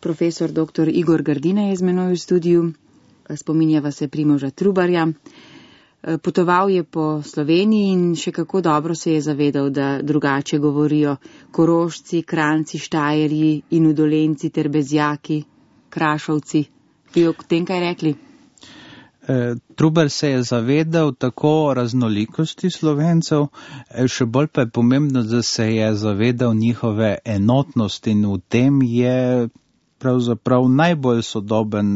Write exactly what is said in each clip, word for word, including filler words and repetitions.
profesor doktor Igor Grdina je z menoj v studiu, spominjava se Primoža Trubarja. Potoval je po Sloveniji in še kako dobro se je zavedal, da drugače govorijo Korošci, Kranjci, Štajerji in Udolenci ter Bezjaki, Krašovci. Bi o tem kaj rekli? Trubar se je zavedal tako raznolikosti Slovencev, še bolj pa je pomembno, da se je zavedal njihove enotnosti in v tem je pravzaprav najbolj sodoben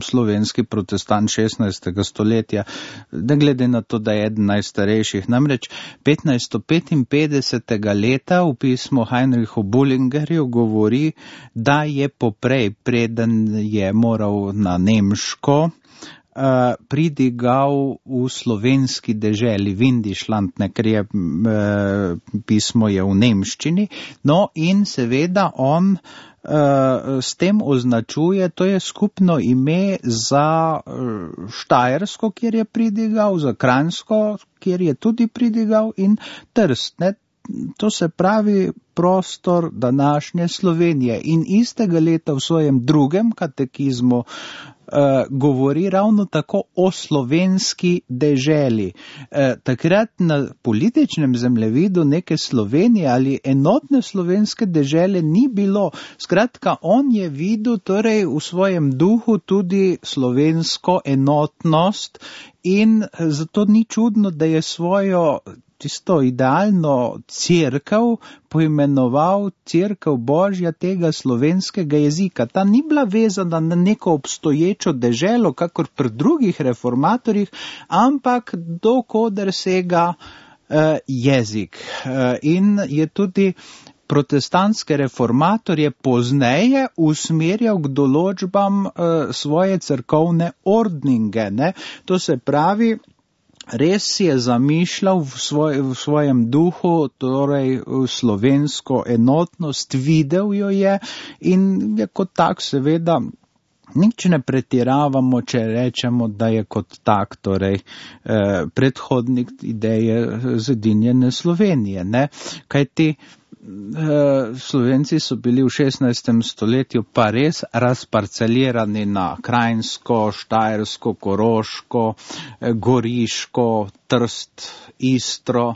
slovenski protestant šestnajstega stoletja, ne glede na to, da je eden najstarejših. Namreč petnajststo petinpetdesetega leta v pismu Heinrichu Bullingerju govori, da je poprej, preden je moral na nemško, Uh, pridigal v slovenski deželi Windischland, ne, ker je uh, pismo je v nemščini, no in seveda on uh, s tem označuje, to je skupno ime za uh, Štajersko, kjer je pridigal, za Kranjsko, kjer je tudi pridigal in Trst, ne. To se pravi prostor današnje Slovenije in istega leta v svojem drugem katekizmu Uh, govori ravno tako o slovenski deželi. Uh, takrat na političnem zemljevidu neke Slovenije ali enotne slovenske dežele ni bilo. Skratka, on je videl torej v svojem duhu tudi slovensko enotnost in zato ni čudno, da je svojo tisto idealno cerkev poimenoval cerkev Božja tega slovenskega jezika. Ta ni bila vezana na neko obstoječo deželo, kakor pri drugih reformatorjih, ampak dokoder sega uh, jezik. Uh, in je tudi protestantske reformatorje pozneje usmerjal k določbam uh, svoje cerkovne ordninge. Ne? To se pravi, res je zamišljal v, svoj, v svojem duhu, torej slovensko enotnost, videl jo je in je kot tak seveda nič ne pretiravamo, če rečemo, da je kot tak, torej eh, predhodnik ideje zedinjene Slovenije, ne, kajti Slovenci so bili v šestnajstem stoletju pa res razparcelirani na Kranjsko, Štajersko, Koroško, Goriško, Trst, Istro,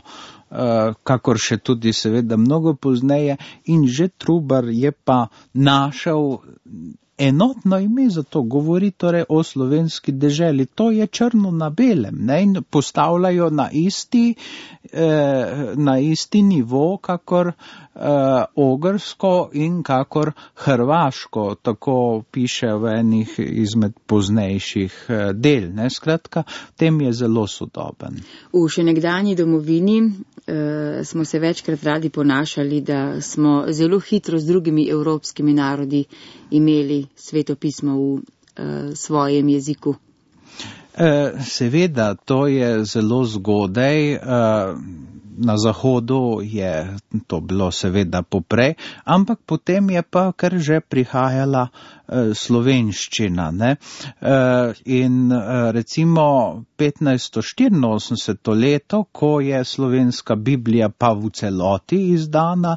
kakor še tudi seveda mnogo pozneje in že Trubar je pa našel enotno ime za to, govori torej o slovenski deželi. To je črno na belem, ne, in postavljajo na isti, eh, na isti nivo, kakor eh, ogrsko in kakor hrvaško, tako piše v enih izmed poznejših eh, del. Ne. Skratka, tem je zelo sodoben. V še nekdanji domovini eh, smo se večkrat radi ponašali, da smo zelo hitro z drugimi evropskimi narodi imeli Sveto pismo v uh, svojem jeziku? Seveda, to je zelo zgodaj. Na Zahodu je to bilo seveda poprej, ampak potem je pa kar že prihajala slovenščina. Ne? In recimo petnajststo štiriinosemdeseto leto, ko je slovenska Biblija pa v celoti izdana,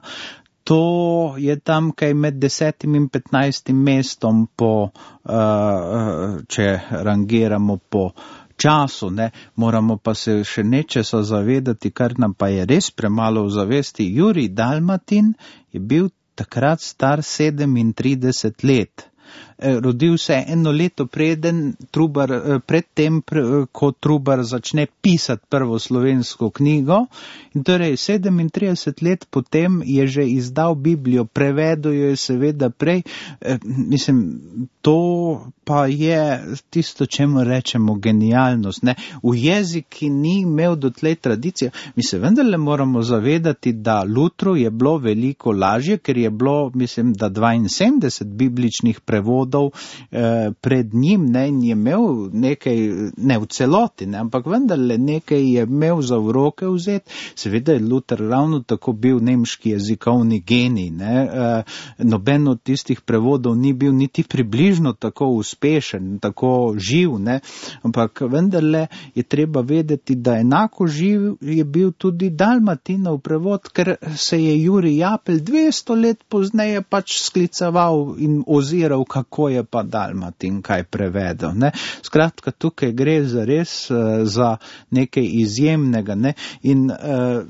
to je tam kaj med desetim in petnajstim mestom po, uh, če rangiramo po času, ne, moramo pa se še nečesa zavedati, kar nam pa je res premalo v zavesti. Jurij Dalmatin je bil takrat star sedemintrideset let. Rodil se je eno leto preden Trubar, predtem, ko Trubar začne pisati prvo slovensko knjigo, in torej sedemintrideset let potem je že izdal Biblijo, prevedel jo je seveda prej. Mislim, to pa je tisto, čemu rečemo genialnost. Ne? V jezik, ki ni imel dotlej tradicije, mi se vendarle moramo zavedati, da Lutru je bilo veliko lažje, ker je bilo, mislim, da dvainsedemdeset bibličnih prevodov prevodov eh, pred njim, ne, in je imel nekaj, ne v celoti, ne, ampak vendarle nekaj je imel za v roke vzeti. Seveda je Luther ravno tako bil nemški jezikovni genij, ne, eh, noben od tistih prevodov ni bil niti približno tako uspešen, tako živ, ne, ampak vendarle je treba vedeti, da enako živ je bil tudi Dalmatinov prevod, ker se je Jurij Japelj dvesto let pozneje pač skliceval in oziral, kako je pa Dalmatin kaj prevedel, ne. Skratka, tukaj gre za res uh, za nekaj izjemnega, ne, in uh,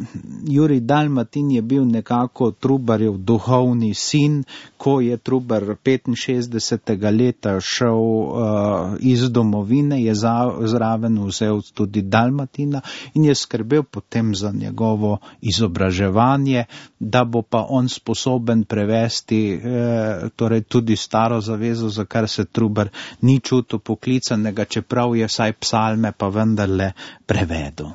Jurij Dalmatin je bil nekako Trubarjev duhovni sin, ko je Trubar petinšestdesetega leta šel uh, iz domovine, je za, zraven vzel tudi Dalmatina in je skrbel potem za njegovo izobraževanje, da bo pa on sposoben prevesti eh, torej tudi staro zavezo, za kar se Trubar ni čutil poklicanega, čeprav je vsaj psalme pa vendarle prevedel.